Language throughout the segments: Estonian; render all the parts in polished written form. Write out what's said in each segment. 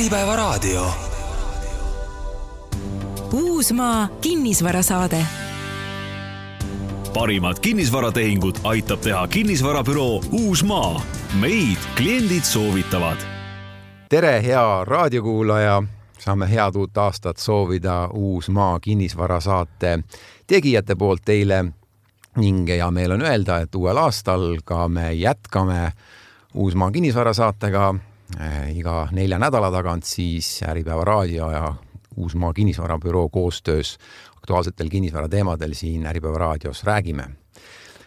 Äripäevaraadio. Uusmaa kinnisvarasaade. Parimad kinnisvaratehingud aitab teha kinnisvarabüroo Uusmaa. Meid kliendid soovitavad. Tere, hea raadiokuulaja! Saame head uut aastat soovida Uusmaa kinnisvarasaate tegijate poolt teile ning ja meil on öelda, et uuel aastal ka me jätkame Uusmaa kinnisvarasaatega iga 4 nädala tagant siis Äripäevaraadio ja Uusmaa kinnisvarabüroo koostöös aktuaalsetel kinnisvarateemadel siin Äripäevaraadios räägime.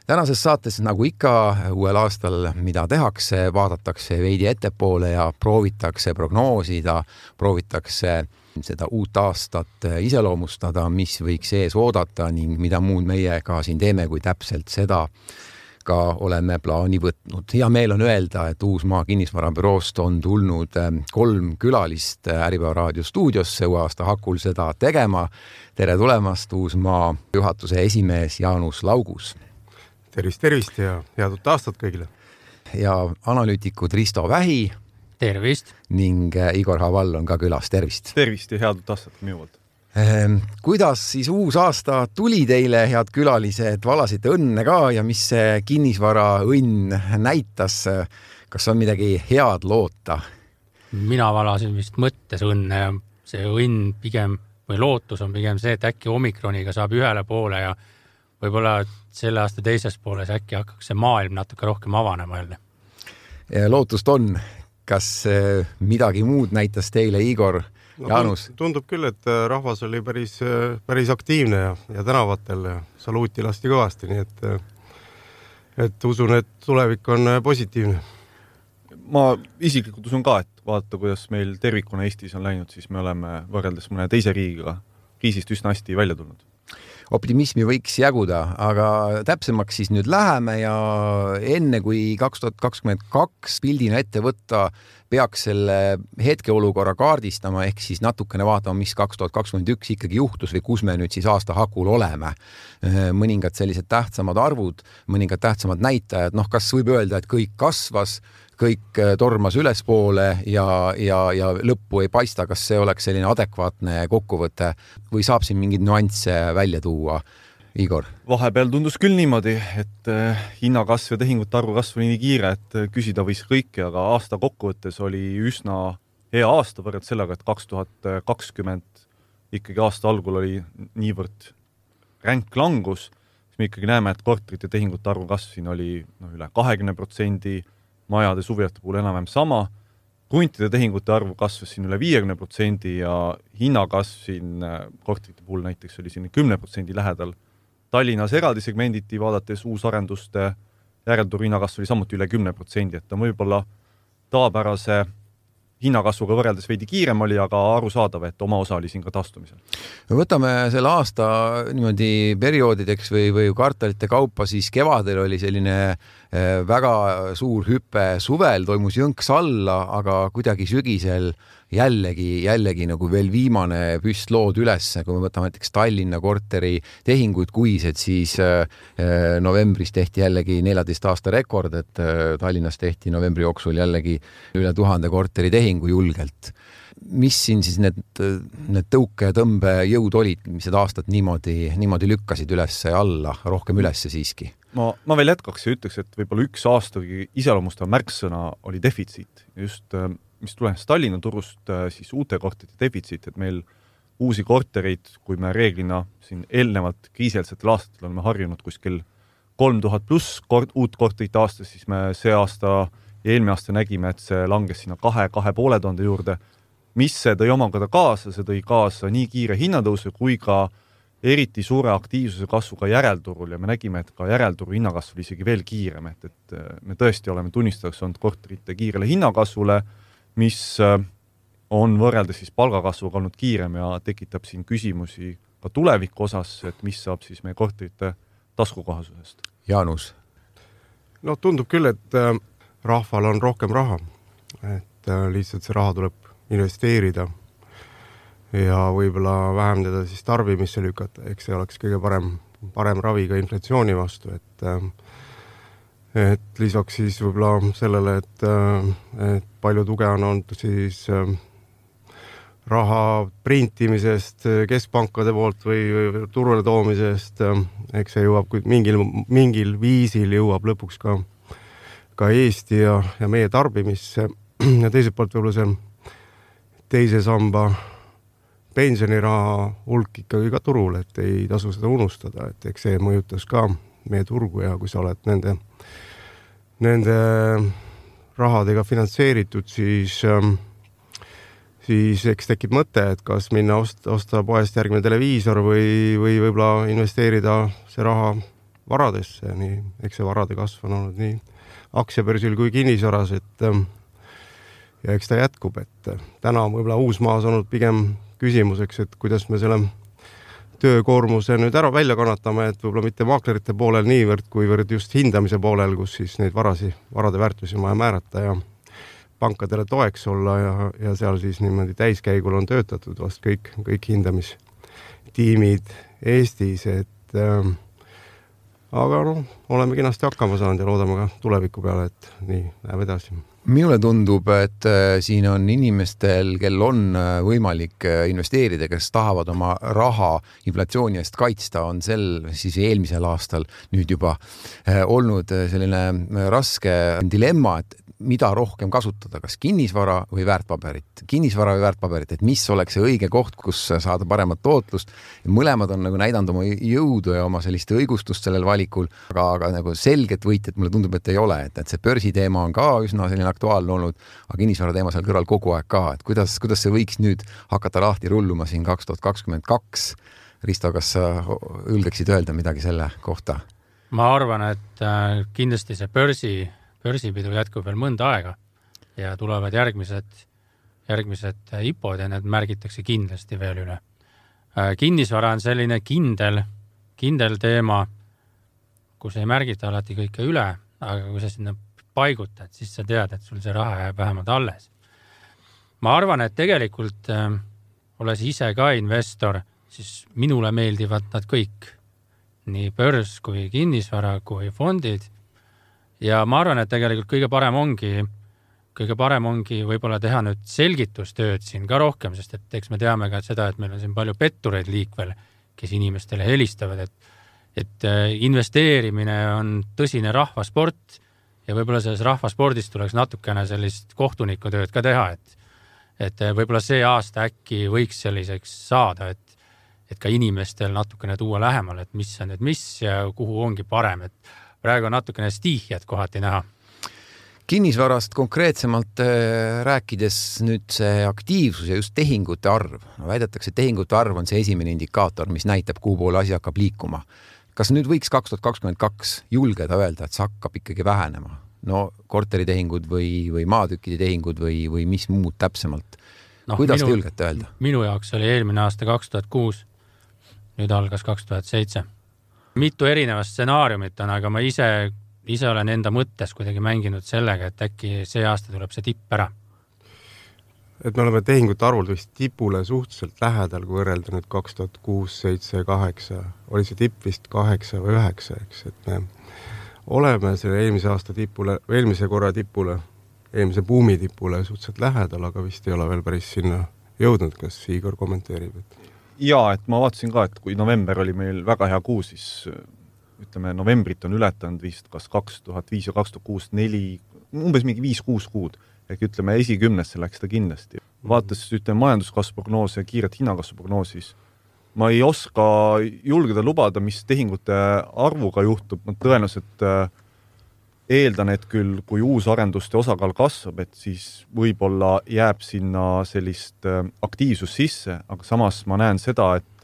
Tänases saates, nagu ikka uuel aastal, mida tehakse, vaadatakse veidi ettepoole ja proovitakse prognoosida, proovitakse seda uut aastat iseloomustada, mis võiks ees oodata ning mida muud meie ka siin teeme, kui täpselt seda ka oleme plaani võtnud. Ja meil on öelda, et Uusmaa kinnisvarabüroost on tulnud 3 külalist Äripäevaraadio stuudiosse uue aasta hakul seda tegema. Tere tulemast, Uusmaa juhatuse esimees Jaanus Laugus. Tervist ja head uut aastat kõigile. Ja analüütikud Risto Vähi. Tervist. Ning Igor Havall on ka külas. Tervist. Tervist ja head uut aastat minu poolt. Kuidas siis uus aasta tuli teile, head külalised, valasite õnne ka ja mis see kinnisvara õnn näitas? Kas on midagi head loota? Mina valasin vist mõttes õnne ja see õnn pigem või lootus on pigem see, et äkki omikroniga saab ühele poole ja võib-olla selle aasta teises pooles äkki hakkaks see maailm natuke rohkem avanema jälle. Lootust on. Kas midagi muud näitas teile, Igor? Jaanus? Tundub küll, et rahvas oli päris aktiivne ja tänavatel ja saluuti lasti kõvasti, nii et usun, et tulevik on positiivne. Ma isiklikult usun ka, et vaadata, kuidas meil tervikuna Eestis on läinud, siis me oleme võrreldes mõne teise riigiga kriisist üsna hästi välja tulnud. Optimismi võiks jaguda, aga täpsemaks siis nüüd läheme ja enne kui 2022 pildina ette võtta, peaks selle hetkeolukorra kaardistama ehk siis natukene vaatama, mis 2021 ikkagi juhtus või kus me nüüd siis aasta hakul oleme. Mõningad sellised tähtsamad arvud, mõningad tähtsamad näitajad, kas võib öelda, et kõik kasvas, kõik tormas ülespoole ja lõppu ei paista, kas see oleks selline adekvaatne kokkuvõte või saab siin mingid nüansse välja tuua? Igor? Vahepeal tundus küll niimoodi, et hinnakasv ja tehingute arvu kasv oli nii kiire, et küsida võis kõike, aga aasta kokkuvõttes oli üsna hea aasta võrreldes sellega, et 2020 ikkagi aasta algul oli niivõrd ränk langus, siis me ikkagi näeme, et korterite tehingute arvu kasv siin oli üle 20%, majade suvijate puhul enam sama, kruntide tehingute arvu kasvas siin üle 50% ja hinnakasv siin korterite puhul näiteks oli siin 10% lähedal. Tallinnas eraldi segmenditi vaadates uusarenduste järelturu hinnakasv oli samuti üle 10%, et ta võib-olla tavapärase hinnakasvuga võrreldes veidi kiirem oli, aga arusaadav, et oma osa oli siin ka taastumisel. Võtame selle aasta niimoodi perioodideks või kvartalite kaupa, siis kevadel oli selline väga suur hüpe, suvel toimus jõnks alla, aga kuidagi sügisel jällegi nagu veel viimane püstlood üles, kui me võtame näiteks Tallinna korteri tehinguid kuised, siis novembris tehti jällegi 14 aasta rekord, et Tallinnas tehti novembri jooksul jällegi üle 1000 korteri tehingu julgelt. Mis siin siis need tõuke ja tõmbe jõud olid, mis seda aastat niimoodi lükkasid üles ja alla, rohkem üles siiski? Ma veel jätkaks ja ütleks, et võib-olla üks aasta iseloomustav märksõna oli defitsiit. Just mis tulenes Tallinna turust, siis uute korterite defitsiit, et meil uusi kortereid, kui me reeglina siin eelnevalt kriiselsetel aastatel oleme harjunud kuskil 3000 pluss uut korterit aastas, siis me see aasta ja eelmine aasta nägime, et see langes sinna 2,500 juurde. Mis see tõi omakorda kaasa? See tõi kaasa nii kiire hinnatõusu kui ka eriti suure aktiivsuse kasvuga järelturul ja me nägime, et ka järelturu hinnakasv oli isegi veel kiirem, et me tõesti oleme tunnistajaks olnud korterite kiirele hinnakasvule, mis on võrreldes siis palgakasvuga olnud kiirem ja tekitab siin küsimusi ka tuleviku osas, et mis saab siis meie korterite taskukohasusest. Jaanus? Tundub küll, et rahval on rohkem raha, et lihtsalt see raha tuleb investeerida ja võib-olla vähendada siis tarbimisse lükata, eks see oleks kõige parem ravi ka inflatsiooni vastu, et lisaks siis võib-olla sellele, et palju tuge on olnud siis raha printimisest keskpankade poolt või turule toomisest, eks see jõuab, kui mingil viisil jõuab lõpuks ka Eesti ja meie tarbimisse ja teiselt poolt võib-olla see teise samba pensioniraha hulk ikkagi ka turul, et ei tasu seda unustada, et eks see mõjutas ka meie turgu ja kui sa oled nende rahadega finantseeritud, siis eks tekib mõte, et kas minna osta poest järgmine televiisor või võib-olla investeerida see raha varadesse, nii eks see varade kasv on olnud nii aktsiabörsil kui kinnisvaras, et ja eks ta jätkub, et täna võib-olla Uusmaas olnud pigem küsimuseks, et kuidas me selle töökoormuse nüüd ära välja kannatame, et võib-olla mitte maaklerite poolel niivõrd, kuivõrd just hindamise poolel, kus siis neid varade väärtusi on vaja määrata ja pankadele toeks olla ja seal siis niimoodi täiskäigul on töötatud vast kõik hindamistiimid Eestis, et aga oleme kenasti hakkama saanud ja loodame ka tuleviku peale, et nii läheb edasi. Minule tundub, et siin on inimestel, kel on võimalik investeerida, kes tahavad oma raha inflatsiooni eest kaitsta, on siis eelmisel aastal nüüd juba olnud selline raske dilemma, et mida rohkem kasutada, kas kinnisvara või väärtpaberit, et mis oleks see õige koht, kus saada paremat tootlust. Mõlemad on nagu näidanud oma jõudu ja oma sellist õigustust sellel valikul, aga nagu selget võitjat mulle tundub, et ei ole, et see börsi teema on ka üsna selline aktuaalne olnud, aga kinnisvara teema seal kõrval kogu aeg ka, et kuidas see võiks nüüd hakata lahti rulluma siin 2022. Risto, kas sa ülgeksid öelda midagi selle kohta? Ma arvan, et kindlasti see börsipidu jätkub veel mõnda aega ja tulevad järgmised IPOd ja need märgitakse kindlasti veel üle. Kinnisvara on selline kindel teema, kus ei märgita alati kõike üle, aga kui sa sinna paigutad, siis sa tead, et sul see raha jääb vähemalt alles. Ma arvan, et tegelikult olles ise ka investor, siis minule meeldivad nad kõik, nii börs kui kinnisvara kui fondid. Ja ma arvan, et tegelikult kõige parem ongi võib-olla teha nüüd selgitustööd siin ka rohkem, sest et eks me teame ka seda, et meil on siin palju pettureid liikvel, kes inimestele helistavad, et investeerimine on tõsine rahvasport ja võib-olla selles rahvaspordis tuleks natukene sellist kohtunikutööd ka teha, et võib-olla see aasta äkki võiks selliseks saada, et ka inimestel natukene tuua lähemale, et mis on nüüd mis ja kuhu ongi parem, et praegu on natukene stiihjad kohati näha. Kinnisvarast konkreetsemalt rääkides nüüd see aktiivsus ja just tehingute arv. Väidetakse, et tehingute arv on see esimene indikaator, mis näitab, kuhu poole asi hakkab liikuma. Kas nüüd võiks 2022 julgeda öelda, et see hakkab ikkagi vähenema? No korteritehingud või maatükkide tehingud või mis muud täpsemalt? Kuidas te julgete öelda? Minu jaoks oli eelmine aasta 2006, nüüd algas 2007. Mitu erinevast stsenaariumit on, aga ma ise olen enda mõttes kuidagi mänginud sellega, et äkki see aasta tuleb see tipp ära. Et me oleme tehingute arvult vist tipule suhteliselt lähedal, kui võrrelda nüüd 2006, 7, 8. Oli see tipp vist 8 või 9, eks, et me oleme selle eelmise korra tipule, eelmise buumi tipule suhteliselt lähedal, aga vist ei ole veel päris sinna jõudnud, kas Igor kommenteerib, et Jaa, et ma vaatasin ka, et kui november oli meil väga hea kuu, siis ütleme, novembrit on ületanud vist kas 2005 ja 2006, 4, umbes mingi 5-6 kuud. Ehk ütleme, esikümnesse läks ta kindlasti. Vaatas majanduskasvuprognoos ja kiiret hinnakasvuprognoosis. Ma ei oska julgeda lubada, mis tehingute arvuga juhtub. Ma tõenäoliselt eeldan, et küll, kui uus arenduste osakaal kasvab, et siis võib-olla jääb sinna sellist aktiivsus sisse, aga samas ma näen seda, et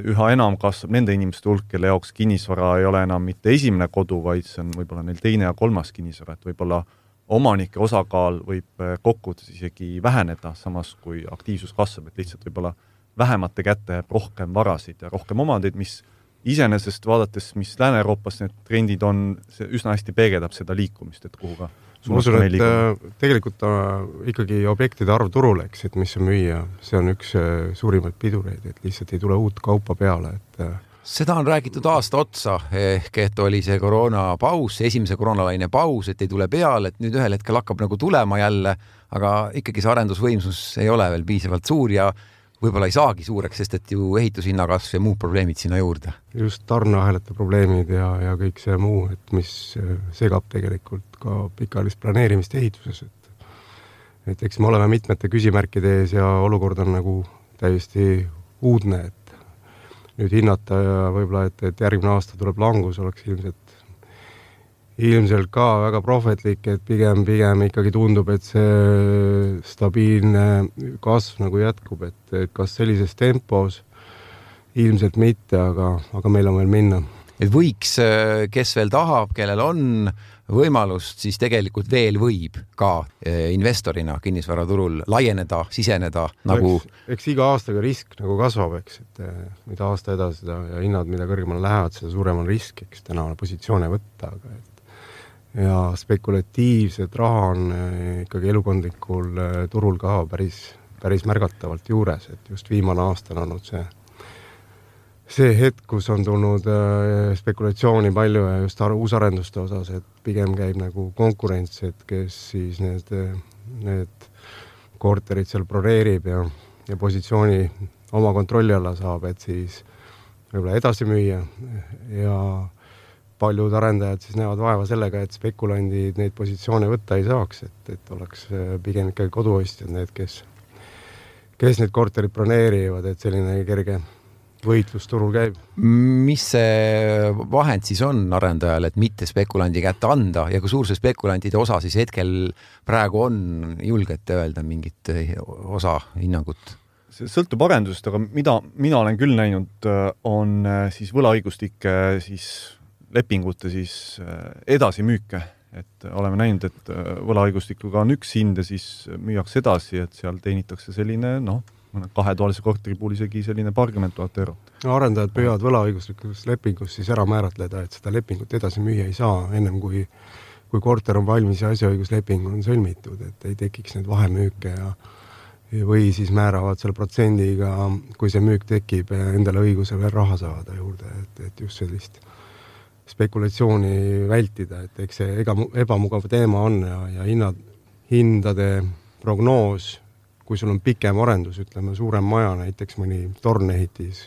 üha enam kasvab nende inimeste hulk, kelle jaoks kinnisvara ei ole enam mitte esimene kodu, vaid see on võib-olla neil teine ja kolmas kinnisvara, et võib-olla omanike osakaal võib kokkuvõttes isegi väheneda, samas kui aktiivsus kasvab, et lihtsalt võib-olla vähemate kätte rohkem varasid ja rohkem omandeid, mis iseenesest vaadates, mis Lääne-Euroopas need trendid on, see üsna hästi peegeldab seda liikumist, et kuhu ka ma usun, et tegelikult ikkagi objektide arv turul, eks, et mis on müüa, see on üks suurimaid pidureid, et lihtsalt ei tule uut kaupa peale, et Seda on räägitud aasta otsa, ehk et oli see koroonapaus, esimese koroonalaine paus, et ei tule peale, et nüüd ühel hetkel hakkab nagu tulema jälle, aga ikkagi see arendusvõimsus ei ole veel piisavalt suur ja võib-olla ei saagi suureks, sest et ju ehitushinnakasv ja muud probleemid sinna juurde. Just tarneahelate probleemid ja kõik see muu, et mis segab tegelikult ka pikaajalist planeerimist ehituses. Et eks me oleme mitmete küsimärkide ees ja olukord on nagu täiesti uudne, et nüüd hinnata ja võib-olla, et järgmine aasta tuleb langus, oleks ilmselt ka väga prohvetlik, et pigem ikkagi tundub, et see stabiilne kasv nagu jätkub, et kas sellises tempos ilmselt mitte, aga meil on veel minna. Et võiks, kes veel tahab, kellel on võimalust, siis tegelikult veel võib ka investorina kinnisvaraturul laieneda, siseneda nagu... Eks iga aastaga risk nagu kasvab, eks, et mida aasta edasi ja hinnad, mida kõrgemale lähevad, seda suurem on risk, eks täna positsioone võtta, ja spekulatiivset raha on ikkagi elukondlikul turul ka päris märgatavalt juures, et just viimane aasta on olnud see hetk, kus on tulnud spekulatsiooni palju ja just uusarenduste osas, et pigem käib nagu konkurents, et kes siis need korterid seal broneerib ja positsiooni oma kontrolli alla saab, et siis võib-olla edasi müüa ja paljud arendajad siis näevad vaeva sellega, et spekulandid neid positsioone võtta ei saaks, et oleks pigem ikkagi koduostjad need, kes need korterid broneerivad, et selline kerge võitlus turul käib. Mis see vahend siis on arendajal, et mitte spekulandi kätte anda ja kui suur see spekulantide osa siis hetkel praegu on, julgete öelda mingit osa hinnangut? See sõltub arendusest, aga mida mina olen küll näinud, on siis võlaõigustike siis lepingute siis edasimüüke. Et oleme näinud, et võlaõigustikuga on üks hind ja siis müüakse edasi, et seal teenitakse selline, kahetoalise korteri puhul isegi selline paarkümmend tuhat eurot. Arendajad püüavad võlaõiguslikus lepingus siis ära määratleda, et seda lepingut edasi müüa ei saa ennem kui korter on valmis ja asjaõigusleping on sõlmitud, et ei tekiks need vahemüüke või siis määravad selle protsendiga, kui see müük tekib, endale õiguse veel raha saada juurde, et just sellist spekulatsiooni vältida, et eks see ebamugav teema on ja hindade prognoos, kui sul on pikem arendus, ütleme suurem maja, näiteks mõni tornehitis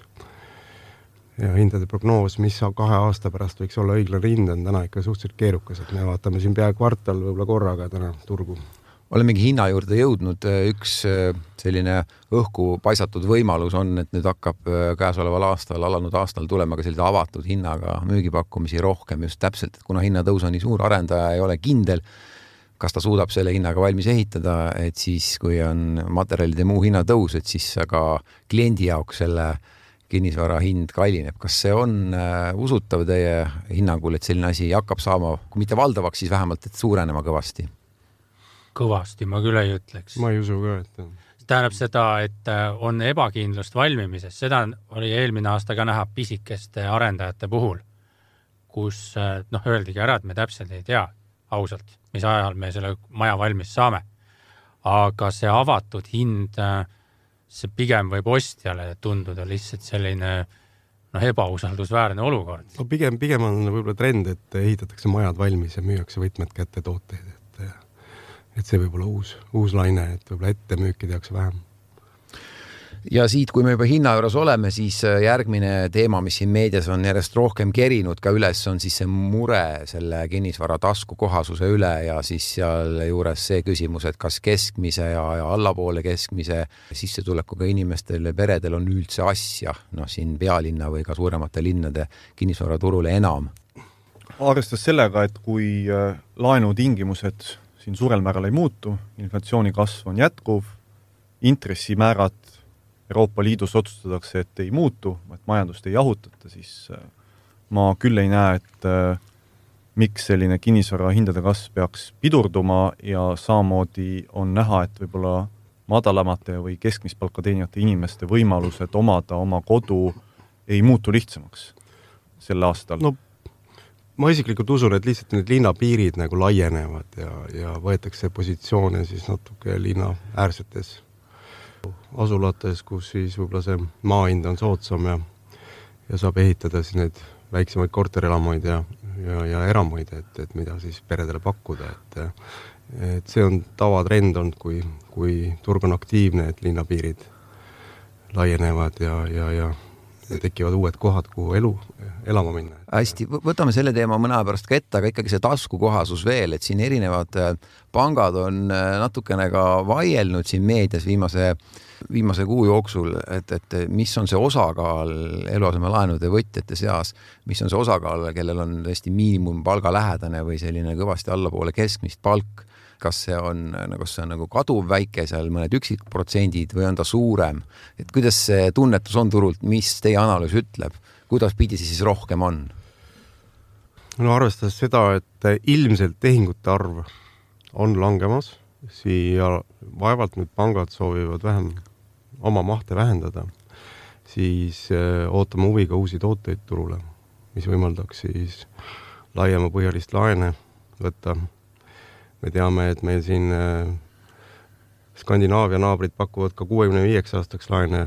ja hindade prognoos, mis 2 aasta pärast võiks olla õiglane hind, on täna ikka suhteliselt keerukas, et me vaatame siin pea kvartal võib-olla korraga täna turgu. Olemegi hinna juurde jõudnud, üks selline õhku paisatud võimalus on, et nüüd hakkab käesoleval aastal, alanud aastal tulema ka sellise avatud hinnaga müügipakkumisi rohkem just täpselt, et kuna hinnatõus on nii suur, arendaja ei ole kindel, kas ta suudab selle hinnaga valmis ehitada, et siis kui on materjalide muu hinnatõus, et siis ka kliendi jaoks selle kinnisvara hind kallineb. Kas see on usutav teie hinnangul, et selline asi hakkab saama, kui mitte valdavaks, siis vähemalt, et suurenema kõvasti? Kõvasti, ma küll ei ütleks. Ma ei usu ka, et... Tähendab seda, et on ebakindlust valmimises. Seda oli eelmine aasta ka näha pisikeste arendajate puhul, kus öeldigi ära, et me täpselt ei tea ausalt, mis ajal me selle maja valmis saame. Aga see avatud hind, see pigem võib ostjale tunduda lihtsalt selline ebausaldusväärne olukord. No pigem on võib-olla trend, et ehitatakse majad valmis ja müüakse võtmed kätte tooteid. Et see võib olla uus laine, et võib-olla ette müüki tehakse vähem. Ja siit, kui me juba hinna juures oleme, siis järgmine teema, mis siin meedias on järjest rohkem kerinud ka üles, on siis see mure selle kinnisvara taskukohasuse üle ja siis seal juures see küsimus, et kas keskmise ja allapoole keskmise sissetulekuga inimestele peredel on üldse asja, siin pealinna või ka suuremate linnade kinnisvaraturule enam. Arvestas sellega, et kui laenutingimused siin suurel määral ei muutu, inflatsiooni kasv on jätkuv, intressimäärad Euroopa Liidus otsustatakse, et ei muutu, et majandust ei jahutata, siis ma küll ei näe, et miks selline kinnisvara hindade kasv peaks pidurduma ja samamoodi on näha, et võib-olla madalamate või keskmist palka teenijate inimeste võimalused omada oma kodu ei muutu lihtsamaks sel aastal. Ma isiklikult usun, et lihtsalt need linnapiirid nagu laienevad ja võetakse positsioone siis natuke linna äärsetes asulates, kus siis võib-olla see maahind on soodsam saab ehitada siis need väiksemaid korterelamuid ja eramuid, et mida siis peredele pakkuda, et see on tavatrend olnud, kui turg on aktiivne, et linnapiirid laienevad ja tekivad uued kohad, kuhu elama minna. Hästi, võtame selle teema mõne aja pärast ka ette, aga ikkagi see taskukohasus veel, et siin erinevad pangad on natukene ka vaielnud siin meedias viimase kuu jooksul, et mis on see osakaal eluasemelaenude võtjate seas, mis on see osakaal, kellel on tõesti miinimumpalga lähedane või selline kõvasti allapoole keskmist palk. Kas see on nagu kaduv väike seal mõned üksikprotsendid või on ta suurem? Et kuidas see tunnetus on turult, mis teie analüüs ütleb? Kuidas pidi siis rohkem on? No arvestades seda, et ilmselt tehingute arv on langemas, siia vaevalt nüüd pangad soovivad vähem oma mahte vähendada, siis ootame huviga uusi tooteid turule, mis võimaldaks siis laiema põhjalist laene võtta. Me teame, et meil siin Skandinaavia naabrid pakuvad ka 65 aastaks laene,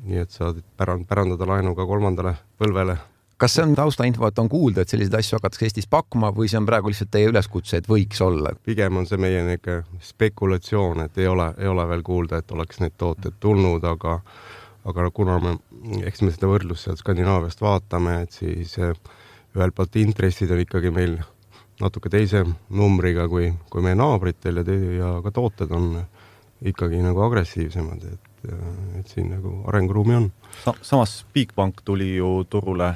nii et saad pärandada laenu ka 3. põlvele. Kas see on taustainfo, et on kuulda, et selliseid asju hakatakse Eestis pakkuma või see on praegu lihtsalt teie üleskutse, et võiks olla? Pigem on see meie spekulatsioon, et ei ole veel kuulda, et oleks need tooted tulnud, aga kuna eks me seda võrdlust sealt Skandinaaviast vaatame, et siis ühelt poolt intressid on ikkagi meil natuke teise numbriga kui meie naabritel ja ka tooted on ikkagi nagu agressiivsemad, et siin nagu arenguruumi on. Samas Bigbank tuli ju turule,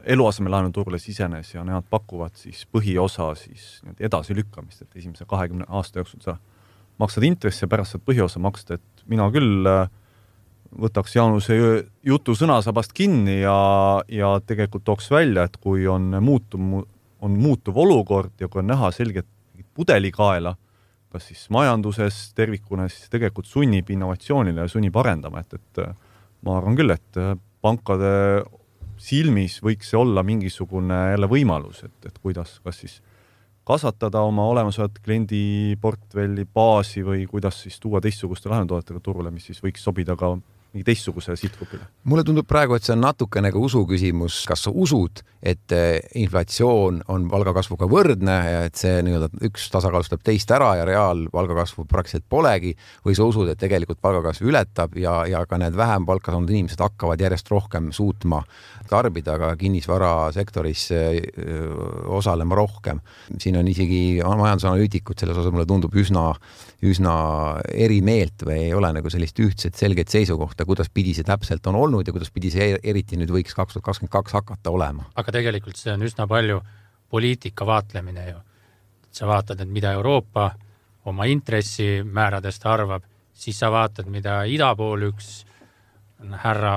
eluasemelaenu turule sisenes ja nemad pakuvad siis põhiosa siis edasi lükkamist, et esimese 20 aasta jooksul sa maksad intressi ja pärast saad põhiosa maksta, et mina küll võtaks Jaanuse jutu sõnasabast kinni ja tegelikult tooks välja, et kui on muutuv olukord ja kui on näha selget pudelikaela, kas siis majanduses tervikuna, siis tegelikult sunnib innovatsioonile ja sunnib arendama, et ma arvan küll, et pankade silmis võiks see olla mingisugune jälle võimalus, et kuidas, kas siis kasvatada oma olemasolevat kliendiportfelli baasi või kuidas siis tuua teistsuguste laenutoodetega turule, mis siis võiks sobida ka mingi teistsuguse sihtgrupile. Mulle tundub praegu, et see on natukene ka usu küsimus. Kas sa usud, et inflatsioon on palgakasvuga võrdne ja et see üks tasakaalustab teist ära ja reaalpalgakasvu praktiliselt polegi või sa usud, et tegelikult palgakasvu ületab ja ka need vähem palka saanud inimesed hakkavad järjest rohkem suutma tarbida ka kinnisvarasektoris osalema rohkem. Siin on isegi majandusanalüütikud selles osas mulle tundub üsna eri meelt või ei ole nagu sellist ühtset selget seisukohta, kuidas pidi see täpselt on olnud ja kuidas pidi see eriti nüüd võiks 2022 hakata olema. Aga tegelikult see on üsna palju poliitika vaatlemine ju. Sa vaatad, et mida Euroopa oma intressimääradest arvab, siis sa vaatad, mida ida pool üks härra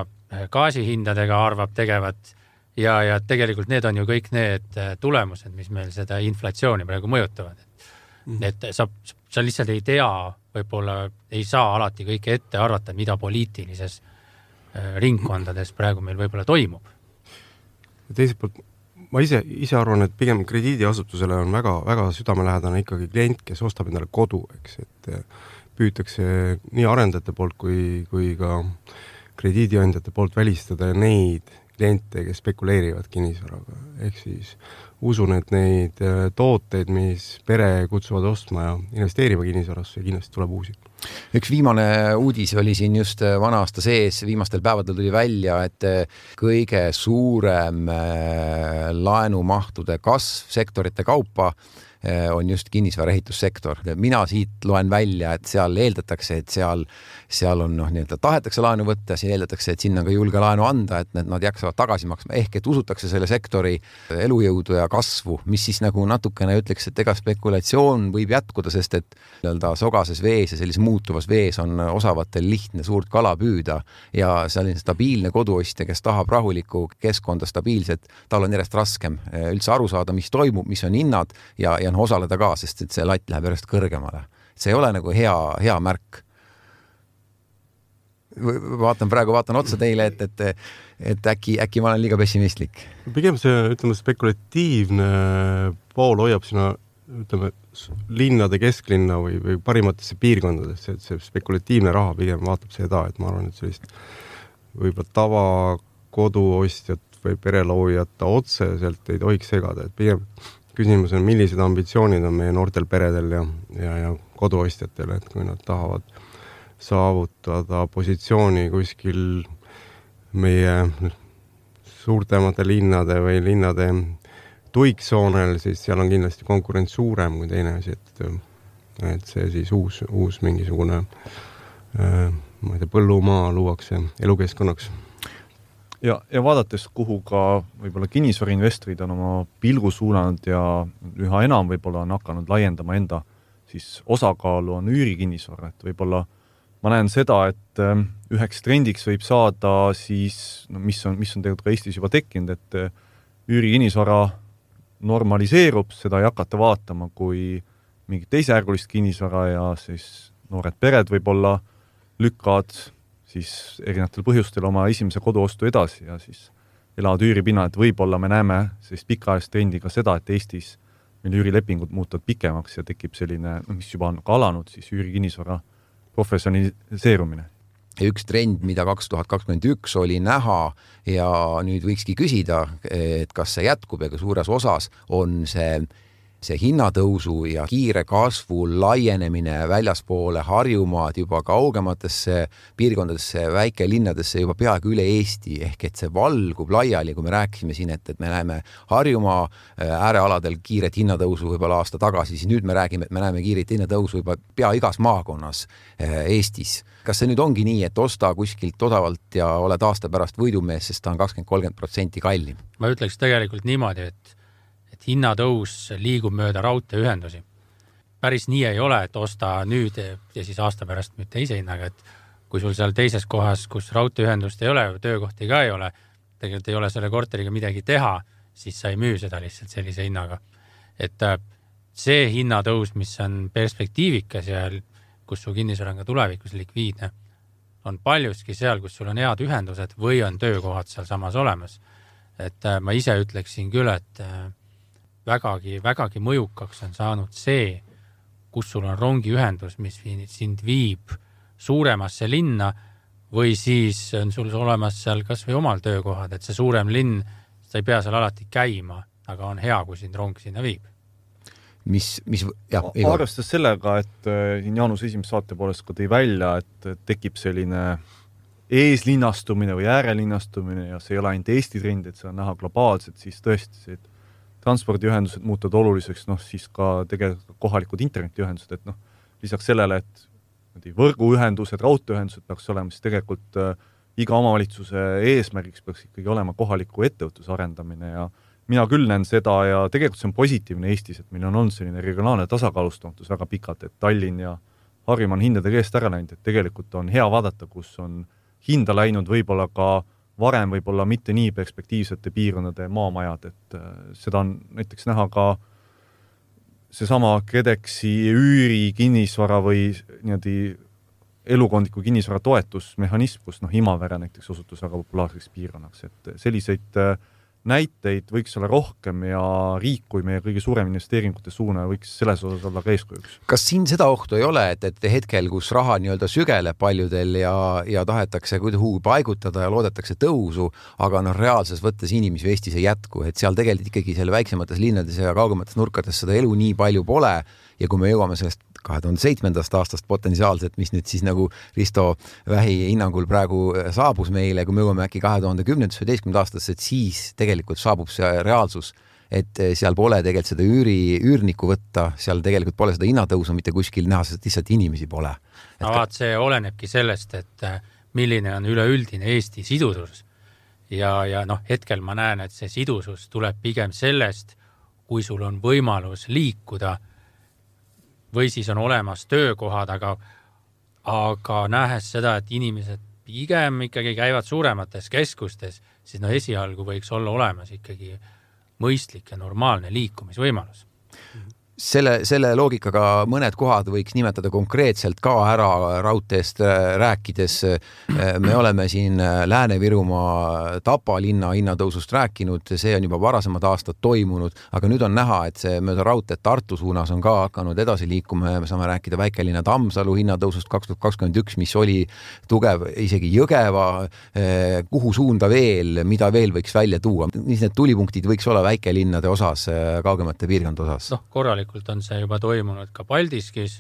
gaasihindadega arvab tegevat ja tegelikult need on ju kõik need tulemused, mis meil seda inflatsiooni praegu mõjutavad. Et sa lihtsalt ei tea, võib-olla ei saa alati kõike ette arvata, mida poliitilises ringkondades praegu meil võib-olla toimub. Teiselt poolt, ma ise arvan, et pigem krediidiasutusele on väga südamelähedane ikkagi klient, kes ostab endale kodu, eks, et püütakse nii arendajate poolt kui ka krediidiandjate poolt välistada neid kliente, kes spekuleerivad kinnisvaraga. Ehk siis usun, et neid tooteid, mis pere kutsuvad ostma ja investeerima kinnisvarasse, kindlasti tuleb uusi. Üks viimane uudis oli siin just vana aasta sees, viimastel päevadel tuli välja, et kõige suurem laenumahtude kasv sektorite kaupa on just kinnisvaraehitussektor. Mina siit loen välja, et seal eeldatakse, et seal on tahetakse laenu võtta, siin eeldatakse, et sinna ka julge laenu anda, et nad jaksavad tagasi maksma. Ehk et usutakse selle sektori elujõudu ja kasvu, mis siis nagu natukene ütleks, et ega spekulatsioon võib jätkuda, sest et sogases vees ja sellises muutuvas vees on osavatel lihtne suurt kala püüda ja selline stabiilne koduostja, kes tahab rahulikku keskkonda stabiilset, tal on järjest raskem üldse aru saada, mis toimub, mis on hinnad ja osaleda ka, sest et see latt läheb järjest kõrgemale. See ei ole nagu hea märk. Vaatan otsa teile, et äkki ma olen liiga pessimistlik. Pigem see, spekulatiivne pool hoiab sinna, linnade kesklinna või parimatesse piirkondadesse, et see spekulatiivne raha pigem vaatab seda, et ma arvan, et sellist võib-olla koduostjat või pereloojat otseselt ei tohiks segada, et pigem küsimus on, millised ambitsioonid on meie noortel peredel ja koduostjatel, et kui nad tahavad saavutada positsiooni kuskil meie suurtemate linnade või linnade tuiksoonel, siis seal on kindlasti konkurents suurem kui teine asi, et see siis uus mingisugune ma ei tea, põllumaa luuakse elukeskkonnaks. Ja vaadates, kuhu ka võib-olla kinnisvarainvestorid on oma pilgu suunanud ja üha enam võib-olla on hakanud laiendama enda siis osakaalu on üürikinnisvara, et võib-olla ma näen seda, et üheks trendiks võib saada siis, mis on tegelikult ka Eestis juba tekkinud, et üürikinnisvara normaliseerub, seda ei hakata vaatama kui mingit teisejärgulist kinnisvara ja siis noored pered võib-olla lükkavad siis erinevatel põhjustel oma esimese koduostu edasi ja siis elavad üüripinnal, et võib-olla me näeme sellist pikaajalist trendi ka seda, et Eestis meil üürilepingud muutuvad pikemaks ja tekib selline, mis juba on ka alanud, siis üürikinnisvara professionaliseerumine. Üks trend, mida 2021 oli näha ja nüüd võikski küsida, et kas see jätkub ja ka suures osas on see hinnatõusu ja kiire kasvu laienemine väljaspoole Harjumaad juba kaugematesse piirkondadesse, väikelinnadesse juba peaaegu üle Eesti, ehk et see valgub laiali, kui me rääkisime siin, et me näeme Harjumaa äärealadel kiiret hinnatõusu võib-olla aasta tagasi, siis nüüd me räägime, et me näeme kiiret hinnatõusu juba pea igas maakonnas Eestis. Kas see nüüd ongi nii, et osta kuskilt odavalt ja oled aasta pärast võidumees, sest ta on 20-30% kallim? Ma ütleks tegelikult niimoodi, et hinnatõus liigub mööda raudteeühendusi. Päris nii ei ole, et osta nüüd ja siis aasta pärast nüüd teise hinnaga, et kui sul seal teises kohas, kus raudteeühendust ei ole, töökohti ka ei ole, tegelikult ei ole selle korteriga midagi teha, siis sa ei müü seda lihtsalt sellise hinnaga. Et see hinnatõus, mis on perspektiivikas ja kus su kinnisvara on ka tulevikus likviidne, on paljuski seal, kus sul on head ühendused või on töökohad seal samas olemas. Et ma ise ütleksin küll, et vägagi mõjukaks on saanud see, kus sul on rongiühendus, mis sind viib suuremasse linna või siis on sul olemas seal kas või omal töökohad, et see suurem linn, sa ei pea seal alati käima, aga on hea, kui sind rong sinna viib. Arvestas sellega, et Jaanus esimese saate poolest ka tõi välja, et tekib selline eeslinnastumine või äärelinnastumine ja see ei ole ainult Eesti trend, et see on näha globaalselt, siis tõesti see transpordiühendused muutuvad oluliseks, siis ka tegelikult kohalikud internetiühendused, et lisaks sellele, et võrguühendused, raudteeühendused peaks olema, siis tegelikult iga omavalitsuse eesmärgiks peaks ikkagi olema kohaliku ettevõtluse arendamine ja mina küll näen seda ja tegelikult see on positiivne Eestis, et meil on olnud selline regionaalne tasakaalustamatus väga pikalt, et Tallinn ja Harjumaa on hindade käest ära läinud, et tegelikult on hea vaadata, kus on hinda läinud võib-olla ka varem võib-olla mitte nii perspektiivsete piirkondade maamajad, et seda on näiteks näha ka seesama KredExi üüri kinnisvara või niimoodi elukondliku kinnisvara toetusmehhanism, kus Imavere näiteks osutus väga populaarseks piirkonnaks, et selliseid näiteid võiks olla rohkem ja riik, kui meie kõige suurem investeeringute suuna võiks selles osas olla ka eeskujuks. Kas siin seda ohtu ei ole, et hetkel, kus raha nii-öelda sügeleb paljudel ja tahetakse kuhugi paigutada ja loodetakse tõusu, aga reaalses võttes inimesi Eestis ei jätku, et seal tegelikult ikkagi selle väiksemates linnades ja kaugemates nurkades seda elu nii palju pole ja kui me jõuame sellest 2007. aastast potentsiaalselt, mis nüüd siis nagu Risto Vähi hinnangul praegu saabus meile, kui me jõuame äkki 2010-11 aastasse, et siis tegelikult saabub see reaalsus, et seal pole tegelikult seda üürniku võtta, seal tegelikult pole seda hinnatõusu mitte kuskil näha, sest lihtsalt inimesi pole. See olenebki sellest, et milline on üleüldine Eesti sidusus. Ja hetkel ma näen, et see sidusus tuleb pigem sellest, kui sul on võimalus liikuda või siis on olemas töökohad, aga nähes seda, et inimesed pigem ikkagi käivad suuremates keskustes, siis esialgu võiks olla olemas ikkagi mõistlik ja normaalne liikumisvõimalus. selle loogikaga mõned kohad võiks nimetada konkreetselt ka ära raudteest rääkides. Me oleme siin Lääne-Virumaa Tapa linna hinnatõusust rääkinud, see on juba varasemad aastad toimunud, aga nüüd on näha, et see mööda raudteed Tartu suunas on ka hakanud edasi liikuma. Me saame rääkida väikelinna Tammsalu hinnatõusust 2021, mis oli tugev, isegi Jõgeva. Kuhu suunda veel, mida veel võiks välja tuua? Mis need tulipunktid võiks olla väikelinnade osas, kaugemate piirkond osas? Korralikult on see juba toimunud ka Paldiskis,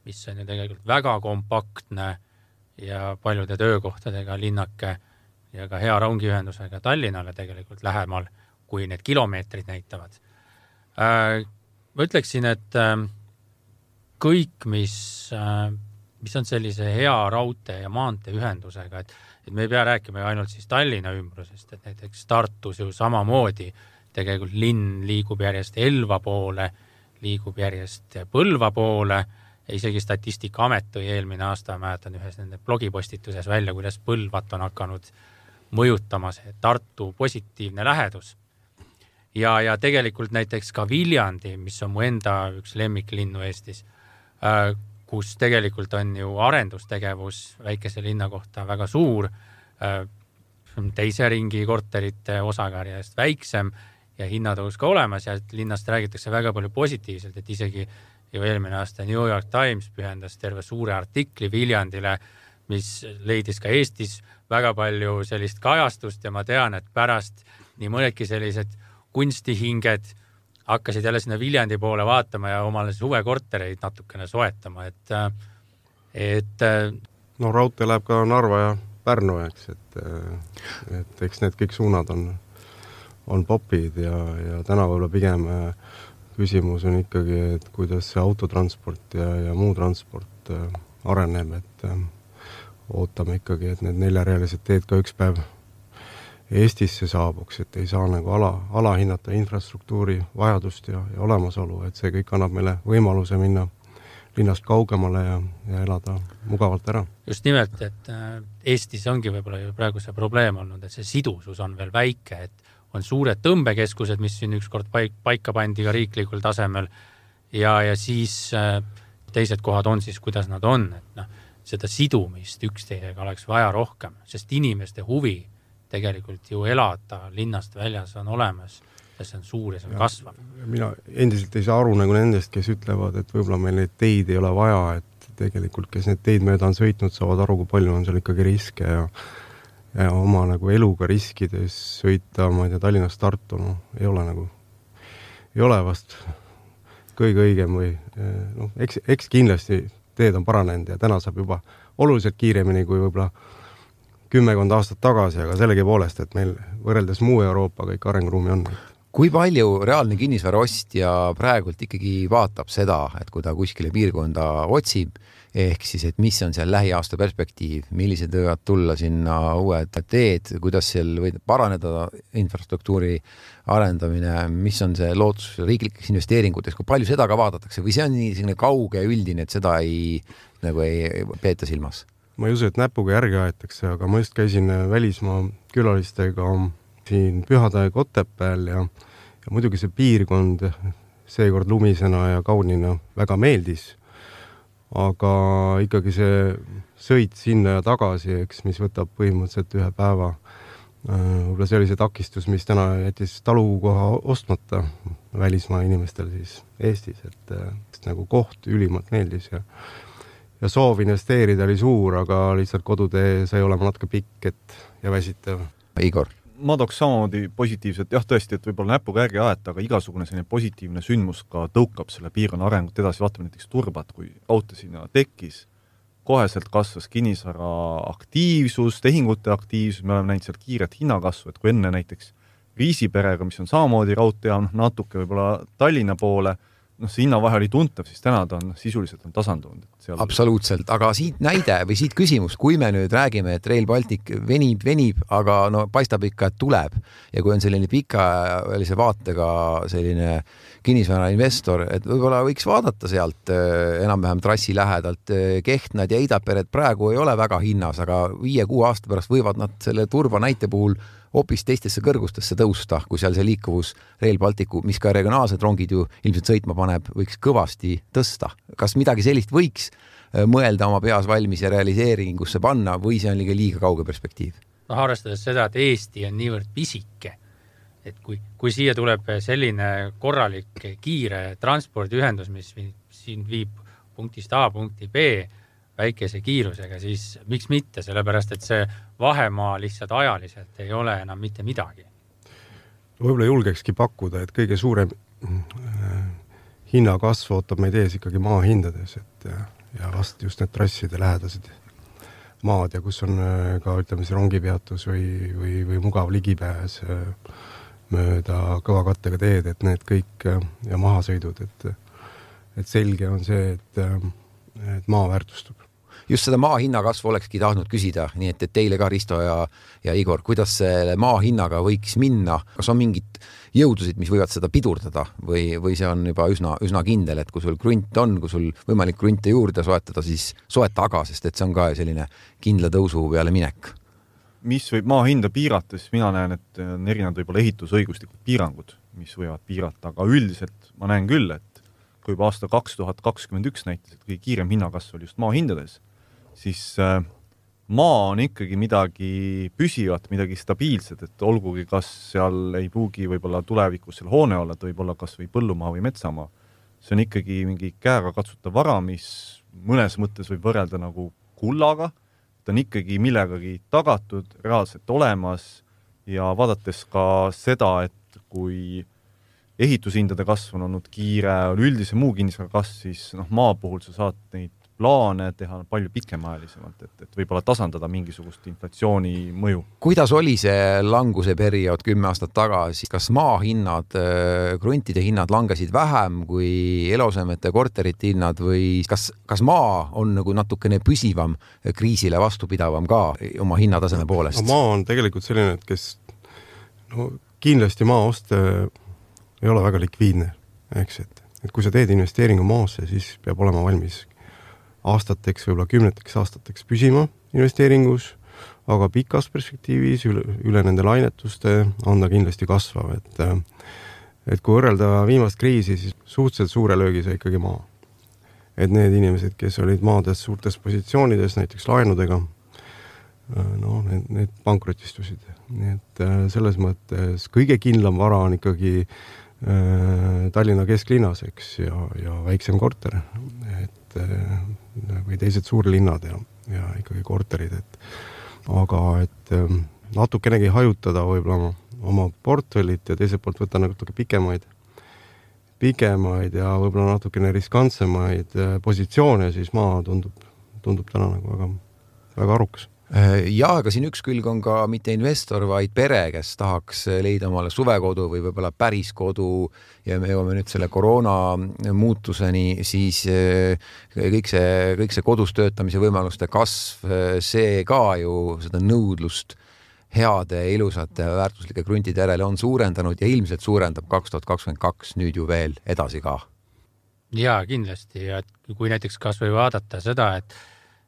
mis on ju tegelikult väga kompaktne ja paljude töökohtadega linnake ja ka hea rongiühendusega Tallinnale tegelikult lähemal, kui need kilomeetrid näitavad. Ma ütleksin, et kõik, mis on sellise hea raudtee ja maanteeühendusega, et me ei pea rääkima ainult siis Tallinna ümbrusest, et näiteks Tartus ju samamoodi tegelikult linn liigub järjest Elva poole, liigub järjest Põlva poole ja isegi Statistikaamet tõi eelmine aasta, mäletan ühes nende blogipostituses välja, kuidas Põlvat on hakanud mõjutama see Tartu positiivne lähedus. Ja tegelikult näiteks ka Viljandi, mis on mu enda üks lemmiklinnu Eestis, kus tegelikult on ju arendustegevus väikese linna kohta väga suur, teise ringi korterite osakarjast väiksem ja hinnatõus ka olemas ja linnast räägitakse väga palju positiivselt, et isegi ju eelmine aasta New York Times pühendas terve suure artikli Viljandile, mis leidis ka Eestis väga palju sellist kajastust ja ma tean, et pärast nii mõnedki sellised kunstihinged hakkasid jälle sinna Viljandi poole vaatama ja omale suvekortereid natukene soetama, et no raudtee läheb ka Narva ja Pärnu, eks, et eks need kõik suunad on popid ja täna võib-olla pigem küsimus on ikkagi, et kuidas see autotransport ja muu transport areneb, et ootame ikkagi, et need 4-realised teed ka üks päev Eestisse saabuks, et ei saa nagu alahinnata infrastruktuuri vajadust ja olemasolu, et see kõik annab meile võimaluse minna linnast kaugemale ja elada mugavalt ära. Just nimelt, et Eestis ongi võib-olla praegu see probleem olnud, et see sidusus on veel väike, et on suured tõmbekeskused, mis siin ükskord paika pandi ka riiklikul tasemel ja siis teised kohad on siis, kuidas nad on, et seda sidumist üksteisega oleks vaja rohkem, sest inimeste huvi tegelikult ju elada linnast väljas on olemas ja see on suur ja see on kasvav. Mina endiselt ei saa aru nagu nendest, kes ütlevad, et võib-olla meil neid teid ei ole vaja, et tegelikult, kes need teid mööda on sõitnud, saavad aru, kui palju on seal ikkagi riske ja oma nagu eluga riskides sõita, ma ei tea, Tallinnast Tartu, ei ole vast kõige õigem või eks kindlasti teed on paranenud ja täna saab juba oluliselt kiiremini kui võib-olla 10 aastat tagasi, aga sellegi poolest, et meil võrreldes muu Euroopa kõik arenguruumi on. Kui palju reaalne kinnisvaraostja praegult ikkagi vaatab seda, et kui ta kuskile piirkonda otsib, ehk siis, et mis on seal lähiaasta perspektiiv, millised võivad tulla sinna uued teed, kuidas seal võib paraneda infrastruktuuri arendamine, mis on see lootus riiklikeks investeeringuteks, kui palju seda ka vaadatakse või see on nii selline kauge üldine, et seda ei peeta silmas? Ma ei usu, et näpuga järgi aetakse, aga ma just käisin välismaa külalistega siin Pühadae Kotepääl ja muidugi see piirkond seekord lumisena ja kaunina väga meeldis, aga ikkagi see sõit sinna ja tagasi, eks, mis võtab põhimõtteliselt ühe päeva. Võib-olla see oli see takistus, mis täna jättis talukoha ostmata välismaa inimestel siis Eestis, et nagu koht ülimalt meeldis ja soov investeerida oli suur, aga lihtsalt kodutee sai olema natuke pikk ja väsitav. Igor? Ma tooks samamoodi positiivselt, jah tõesti, et võib-olla näpuga järgi aeta, aga igasugune selline positiivne sündmus ka tõukab selle piirkonna arengut edasi, vaatame näiteks Turbat, kui raudtee sinna tekkis, koheselt kasvas kinnisvara aktiivsus, tehingute aktiivsus, me oleme näinud seal kiiret hinnakasvu, et kui enne näiteks Riisiperega, mis on samamoodi raudtee, natuke võib-olla Tallinna poole, see hinnavahe oli tuntav, siis täna ta on sisuliselt tasandunud. Absoluutselt, aga siit näide või siit küsimus, kui me nüüd räägime, et Rail Baltic venib, aga paistab ikka, et tuleb ja kui on selline pikaajalise vaatega selline kinnisvara investor, et võib-olla võiks vaadata sealt enam-vähem trassi lähedalt Kehtnad ja Eidaperet praegu ei ole väga hinnas, aga 5-6 aasta pärast võivad nad selle Turba näite puhul hoopis teistesse kõrgustesse tõusta, kui seal see liikuvus Rail Balticu, mis ka regionaalsed rongid ju ilmselt sõitma paneb, võiks kõvasti tõsta. Kas midagi sellist võiks mõelda oma peas valmis ja realiseeringusse panna või see on liiga kauge perspektiiv? Arvestades seda, et Eesti on niivõrd pisike, et kui siia tuleb selline korralik kiire transpordiühendus, mis siin viib punktist A punkti B väikese kiirusega, siis miks mitte, sellepärast et see vahemaa lihtsalt ajaliselt ei ole enam mitte midagi. Võib-olla julgekski pakkuda, et kõige suurem hinnakasv ootab meid ees ikkagi maa hindades, ja vast just need trasside lähedased maad ja kus on ka ütleme see rongipeatus või mugav ligipääs mööda kõva kattega teed, et need kõik ja mahasõidud, et selge on see, et maa väärtustub. Just seda maa hinnakasvu olekski tahtnud küsida, nii et teile ka Risto ja Igor, kuidas selle maa hinnaga võiks minna? Kas on mingid jõudusid, mis võivad seda pidurdada või see on juba üsna kindel, et kui sul krunt on, kui sul võimalik krunte juurde soetada, siis soeta aga, sest et see on ka selline kindla tõusu peale minek. Mis võib maa hinda piirata, siis mina näen, et on erinevad võib-olla ehitusõiguslikud piirangud, mis võivad piirata, aga üldiselt ma näen küll, et kui juba aasta 2021 näitas, et kõige kiirem hinnakasv oli just maa hindades, siis maa on ikkagi midagi püsivat, midagi stabiilset, et olgugi kas seal ei pruugi võib-olla tulevikus seal hoone olla, et võib-olla kas või põllumaa või metsamaa. See on ikkagi mingi käega katsutav vara, mis mõnes mõttes võib võrrelda nagu kullaga, ta on ikkagi millegagi tagatud, reaalselt olemas ja vaadates ka seda, et kui ehitushindade kasv on olnud kiire, üldise muu kinnisvara kasv, siis maa puhul sa saad neid plaane teha palju pikemaajalisemalt, et võib-olla tasandada mingisugust inflatsiooni mõju. Kuidas oli see languse periood 10 aastat tagasi? Kas maa hinnad, kruntide hinnad langesid vähem kui eluasemete korterite hinnad või kas maa on nagu natukene püsivam, kriisile vastupidavam ka oma hinnataseme poolest? Maa on tegelikult selline, et kes kindlasti maa ost ei ole väga likviidne, eks, et kui sa teed investeeringu maasse, siis peab olema valmis aastateks, võib-olla 10 aastateks püsima investeeringus, aga pikas perspektiivis üle nende lainetuste on ta kindlasti kasvav, et kui võrrelda viimast kriisi, siis suhteliselt suure löögi sai ikkagi maa. Et need inimesed, kes olid maades suurtes positsioonides, näiteks laenudega, need pankrotistusid. Nii et selles mõttes kõige kindlam vara on ikkagi Tallinna kesklinnas, eks, ja väiksem korter, või teised suurlinnad ja ikkagi korterid, aga natukenegi hajutada võib-olla oma portfellit ja teiselt poolt võtta natuke pikemaid ja võib-olla natukene riskantsemaid positsioone, siis maa tundub täna nagu väga arukas. Ja, aga siin üks külg on ka mitte investor, vaid pere, kes tahaks leida omale suvekodu või võib-olla päris kodu ja me jõuame nüüd selle koroona muutuseni, siis kõik see kodus töötamise võimaluste kasv, see ka ju seda nõudlust heade, ilusate, väärtuslike kruntide järele on suurendanud ja ilmselt suurendab 2022 nüüd ju veel edasi ka. Jaa, kindlasti. Ja kui näiteks kas või vaadata seda,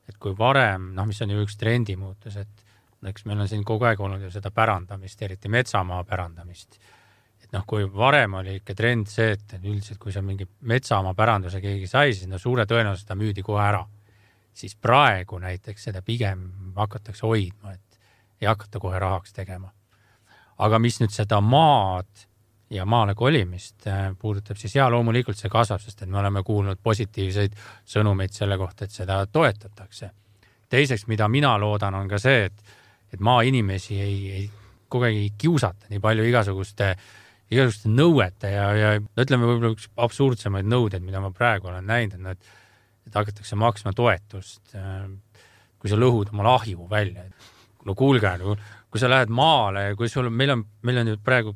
et kui varem, mis on ju üks trendi muutus, et eks meil on siin kogu aeg olnud ju seda pärandamist, eriti metsamaa pärandamist. Et kui varem oli ikka trend see, et üldiselt kui see mingi metsamaa päranduse keegi sai, siis suure tõenäoliselt seda müüdi kohe ära. Siis praegu näiteks seda pigem hakatakse hoidma, et ei hakata kohe rahaks tegema. Aga mis nüüd seda maad ja maale kolimist puudutab, siis loomulikult see kasvab, sest et me oleme kuulnud positiivseid sõnumeid selle kohta, et seda toetatakse. Teiseks, mida mina loodan, on ka see, et maainimesi ei kogu aeg ei kiusata nii palju igasuguste nõuete ja ütleme võib-olla üks absurdsemaid nõudeid, mida ma praegu olen näinud, et hakatakse maksma toetust, kui sa lõhud oma lahju välja. No kuulge, kui sa lähed maale, kui meil on ju praegu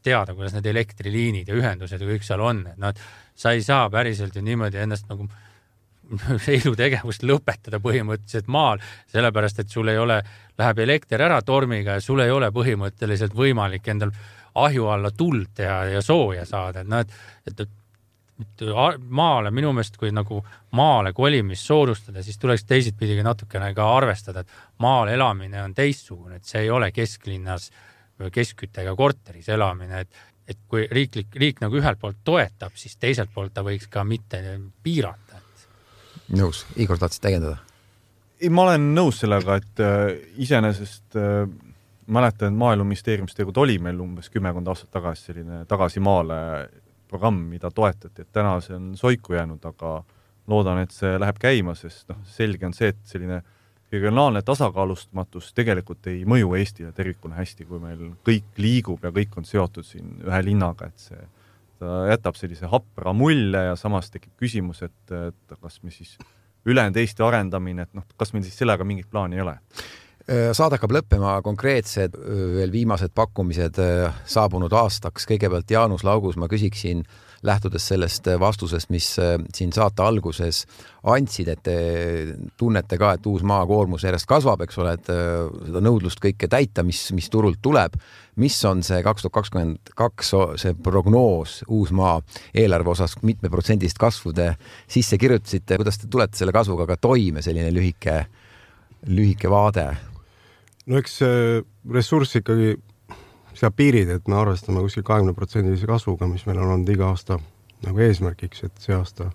teada, kuidas need elektriliinid ja ühendused ja kõik seal on, et sa ei saa päriselt ju niimoodi ennast nagu elutegevust lõpetada põhimõtteliselt maal, sellepärast, et sul ei ole, läheb elekter ära tormiga ja sul ei ole põhimõtteliselt võimalik endal ahju alla tuld ja sooja saada. Et maale, minu meelest, kui nagu maale kolimist soodustada, siis tuleks teisipidi natukene ka arvestada, et maal elamine on teistsugune, et see ei ole kesklinnas keskküttega korteris elamine, et kui riik nagu ühelt poolt toetab, siis teiselt poolt ta võiks ka mitte piirata. Nõus. Igor, tahtsid täiendada? Ei, ma olen nõus sellega, et iseenesest mäletan, et Maaeluministeeriumist oli meil umbes 10 aastat tagasi selline tagasi maale programm, mida toetati, et täna see on soiku jäänud, aga loodan, et see läheb käima, sest selge on see, et selline regionaalne tasakaalustatus tegelikult ei mõju Eestile tervikuna hästi, kui meil kõik liigub ja kõik on seotud siin ühe linnaga, et ta jätab sellise hapra mulje ja samas tekib küsimus, et kas me siis ülejäänud Eesti arendamine, et kas meil siis sellega mingit plaani ei ole? Saade hakkab lõppema, konkreetsed veel viimased pakkumised saabunud aastaks. Kõigepealt Jaanus Laugus ma küsiksin, lähtudes sellest vastusest, mis siin saate alguses andsid, et te tunnete ka, et uus maakoormus järjest kasvab, eks ole, et seda nõudlust kõike täita, mis turult tuleb. Mis on see 2022 see prognoos uus maa eelarve osas, mitme protsendist kasvu te sisse kirjutasite, kuidas te tulete selle kasvuga ka toime, selline lühike vaade? No eks ressurss ikkagi seab piirid, et me arvestame kuskil 20% kasvuga, mis meil on olnud iga aasta nagu eesmärgiks, et see aasta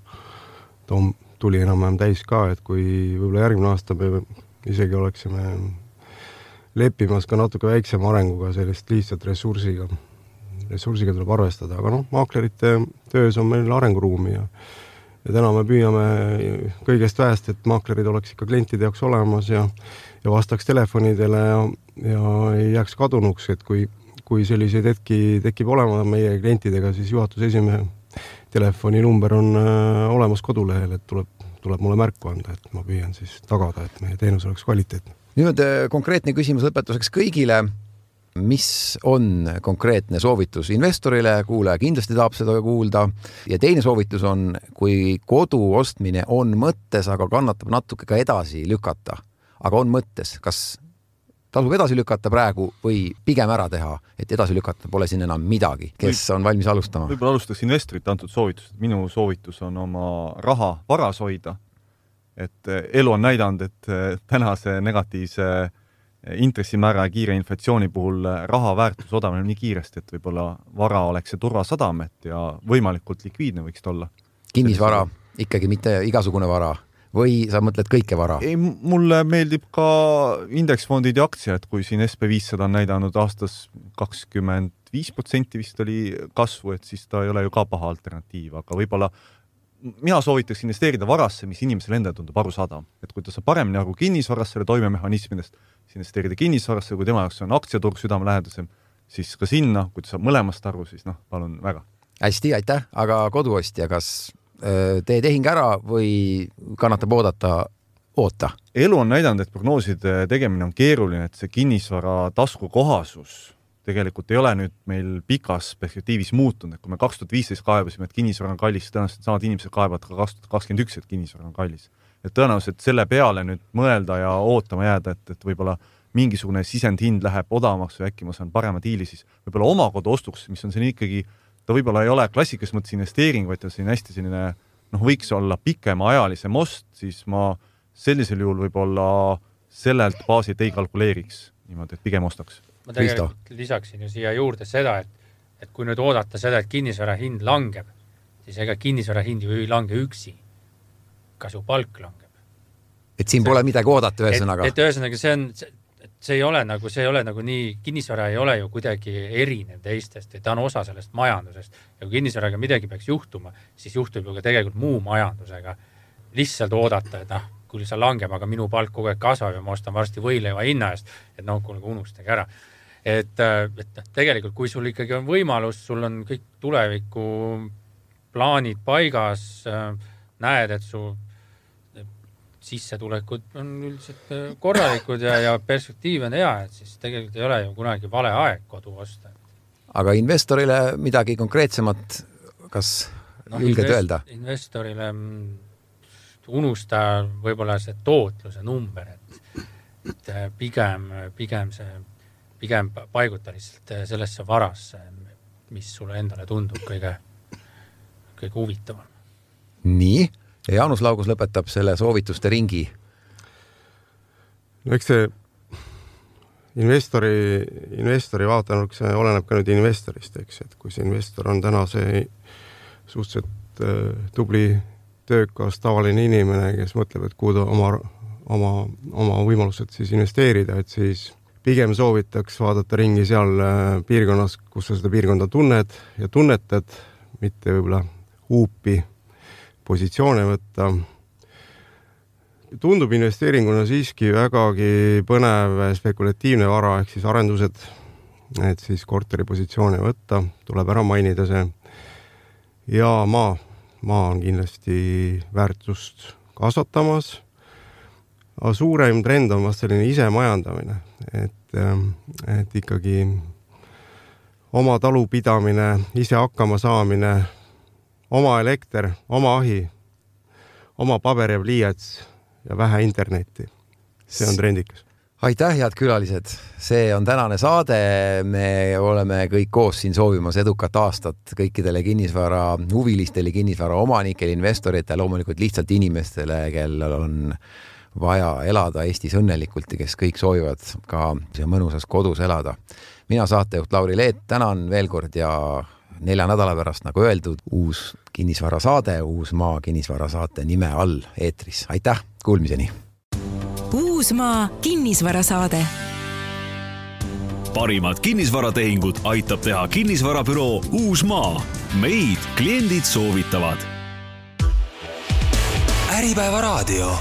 tuli enam-vähem täis ka, et kui võib-olla järgmine aasta me isegi oleksime leppimas ka natuke väiksema arenguga sellist lihtsalt ressursiga tuleb arvestada, aga maaklerite töös on meil arenguruumi ja täna me püüame kõigest väest, et maaklerid oleks ikka klientide jaoks olemas ja vastaks telefonidele ja ei jääks kadunuks, et kui selliseid hetki tekib olema meie klientidega, siis juhatuse esimehe telefoninumber on olemas kodulehel, et tuleb mulle märku anda, et ma püüan siis tagada, et meie teenus oleks kvaliteetne. Nüüd konkreetne küsimus lõpetuseks kõigile. Mis on konkreetne soovitus investorile? Kuulaja kindlasti tahab seda kuulda. Ja teine soovitus on, kui kodu ostmine on mõttes, aga kannatab natuke ka edasi lükata. Aga on mõttes, kas tasub edasi lükata praegu või pigem ära teha, et edasi lükata pole siin enam midagi, kes on valmis alustama? Võib-olla alustaks investorite antud soovitust. Minu soovitus on oma raha varas hoida. Et elu on näidanud, et tänase negatiivse intressimäära ja kiire inflatsiooni puhul raha väärtus odavneb nii kiiresti, et võib-olla vara oleks see turvasadamet ja võimalikult likviidne võiks olla. Kinnisvara, ikkagi mitte igasugune vara? Või sa mõtled kõike vara? Ei, mulle meeldib ka indeksfondid ja aktsiad, kui siin SP500 on näidanud aastas 25% vist oli kasvu, et siis ta ei ole ju ka paha alternatiiv, aga võib-olla mina soovitaks investeerida varasse, mis inimesele enda tundub arusaadav. Et kui ta saab paremini aru kinnisvarasse selle toimemehhanismidest, siis investeerida kinnisvarasse, kui tema jaoks on aktsiaturg südamelähedasem, siis ka sinna, kui ta saab mõlemast aru, siis palun väga. Hästi, aitäh, aga koduostja, kas tee tehing ära või kannatab oota? Elu on näidanud, et prognooside tegemine on keeruline, et see kinnisvara taskukohasus tegelikult ei ole nüüd meil pikas perspektiivis muutunud, et kui me 2015 kaebasime, et kinnisvara on kallis, tõenäoliselt samad inimesed kaebavad ka 2021, et kinnisvara on kallis. Et tõenäoliselt selle peale nüüd mõelda ja ootama jääda, et võib-olla mingisugune sisendhind läheb odavamaks või äkki ma saan parema diili, siis võib-olla oma kodu ostuks, mis on siin ikkagi, ta võib-olla ei ole klassikas mõttes investeering, vaid ta siin hästi selline, võiks olla pikema ajalise most, siis ma sellisel juhul võib-olla sellelt baasilt ei kalkuleeriks niimoodi, et pigem ostaks. Ma tegelikult lisaksin ju siia juurde seda, et kui nüüd oodata seda, et kinnisvara hind langeb, siis ega kinnisvara hind ju ei lange üksi, ka su palk langeb. Et siin pole midagi oodata ühesõnaga. Et ühesõnaga see ei ole nagu nii, kinnisvara ei ole ju kuidagi erinev teistest, et ta on osa sellest majandusest. Ja kui kinnisvaraga midagi peaks juhtuma, siis juhtub ju ka tegelikult muu majandusega. Lihtsalt oodata, et kui see langeb, aga minu palk kogu aeg kasvab ja ma ostan varsti võileiva hinna eest, et kuule unustage ära. Et tegelikult, kui sul ikkagi on võimalus, sul on kõik tuleviku plaanid paigas, näed, et su sissetulekud on üldiselt korralikud ja perspektiiv on hea, et siis tegelikult ei ole ju kunagi vale aeg kodu osta. Aga investorile midagi konkreetsemat, kas julged öelda? Investorile unusta võib-olla see tootluse number, et pigem paiguta lihtsalt sellesse varasse, mis sulle endale tundub kõige huvitavam. Nii, ja Jaanus Laugus lõpetab selle soovituste ringi. Eks investori vaatenurk, see oleneb ka nüüd investorist, eks, et kui see investor on täna see suhteliselt tubli, töökas, tavaline inimene, kes mõtleb, et kuhu ta oma võimalused siis investeerida, et siis pigem soovitaks vaadata ringi seal piirkonnas, kus sa seda piirkonda tunned ja tunnetad, mitte võib-olla huupi positsioone võtta. Tundub investeeringuna siiski vägagi põnev spekulatiivne vara, ehk siis arendused, et siis korteri positsioone võtta, tuleb ära mainida see. Ja maa on kindlasti väärtust kasvatamas. Aga suurem trend on vast selline ise majandamine, et ikkagi oma talupidamine, ise hakkama saamine, oma elekter, oma ahi, oma paber ja pliiats ja vähe internetti. See on trendikas. Aitäh, head külalised! See on tänane saade. Me oleme kõik koos siin soovimas edukat aastat kõikidele kinnisvara huvilistele, kinnisvara omanikele, investoritele, loomulikult lihtsalt inimestele, kellel on vaja elada Eestis õnnelikult ja kes kõik soovivad ka mõnusas kodus elada. Mina saatejuht Lauri Leet, tänan veel kord ja 4 nädala pärast, nagu öeldud, uus kinnisvarasaade, Uusmaa kinnisvarasaate nime all eetris. Aitäh, kuulmiseni! Uusmaa kinnisvarasaade. Parimad kinnisvaratehingud aitab teha kinnisvarabüroo Uusmaa. Meid kliendid soovitavad. Äripäeva raadio.